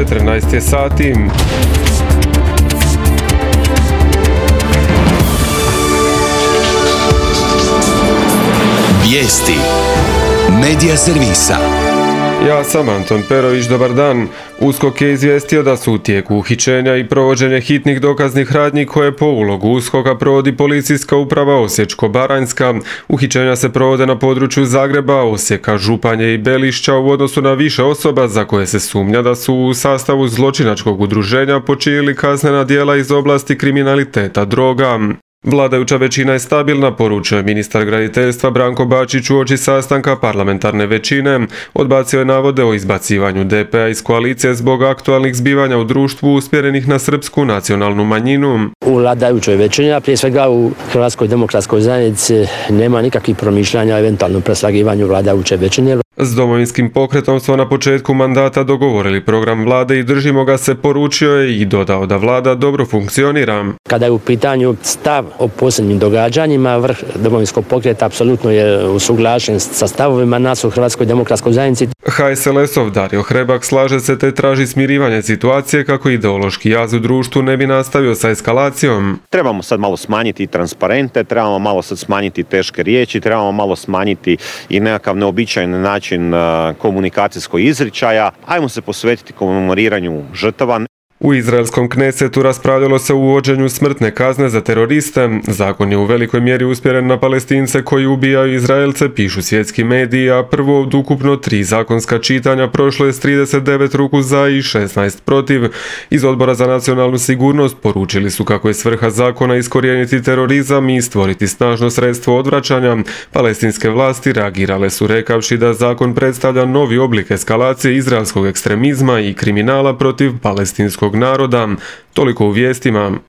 14 je sati. Vijesti Medija servisa. Ja sam Anton Perović, dobar dan. USKOK je izvijestio da su u tijeku uhićenja i provođenje hitnih dokaznih radnji koje po ulogu USKOK-a provodi Policijska uprava Osječko-baranjska. Uhićenja se provode na području Zagreba, Osijeka, Županje i Belišća u odnosu na više osoba za koje se sumnja da su u sastavu zločinačkog udruženja počinili kaznena djela iz oblasti kriminaliteta droga. Vladajuća većina je stabilna, poručio je ministar graditeljstva Branko Bačić uoči sastanka parlamentarne većine. Odbacio je navode o izbacivanju DP-a iz koalicije zbog aktualnih zbivanja u društvu usmjerenih na srpsku nacionalnu manjinu. U vladajućoj većini, a prije svega u Hrvatskoj demokratskoj zajednici, nema nikakvih promišljanja o eventualnom preslagivanju vladajuće većine. S Domovinskim pokretom smo na početku mandata dogovorili program vlade i držimo ga se, poručio je i dodao da vlada dobro funkcionira. Kada je u pitanju stav o posljednjim događanjima, vrh Domovinskog pokreta apsolutno je usuglašen sa stavovima nas u Hrvatskoj demokratskoj zajednici. HSLS-ov Dario Hrebak slaže se te traži smirivanje situacije kako ideološki jaz u društvu ne bi nastavio sa eskalacijom. Trebamo sad malo smanjiti transparente, trebamo malo sad smanjiti teške riječi, trebamo malo smanjiti i nekakav neobičajan način komunikacijskog izričaja. Ajmo se posvetiti komemoriranju žrtava. U izraelskom Knesetu raspravljalo se o uvođenju smrtne kazne za teroriste. Zakon je u velikoj mjeri usmjeren na Palestince koji ubijaju Izraelce, pišu svjetski mediji, a prvo od ukupno 3 zakonska čitanja prošlo je s 39 ruku za i 16 protiv. Iz Odbora za nacionalnu sigurnost poručili su kako je svrha zakona iskorijeniti terorizam i stvoriti snažno sredstvo odvraćanja. Palestinske vlasti reagirale su rekavši da zakon predstavlja novi oblik eskalacije izraelskog ekstremizma i kriminala protiv palestinskog naroda. Toliko u vijestima.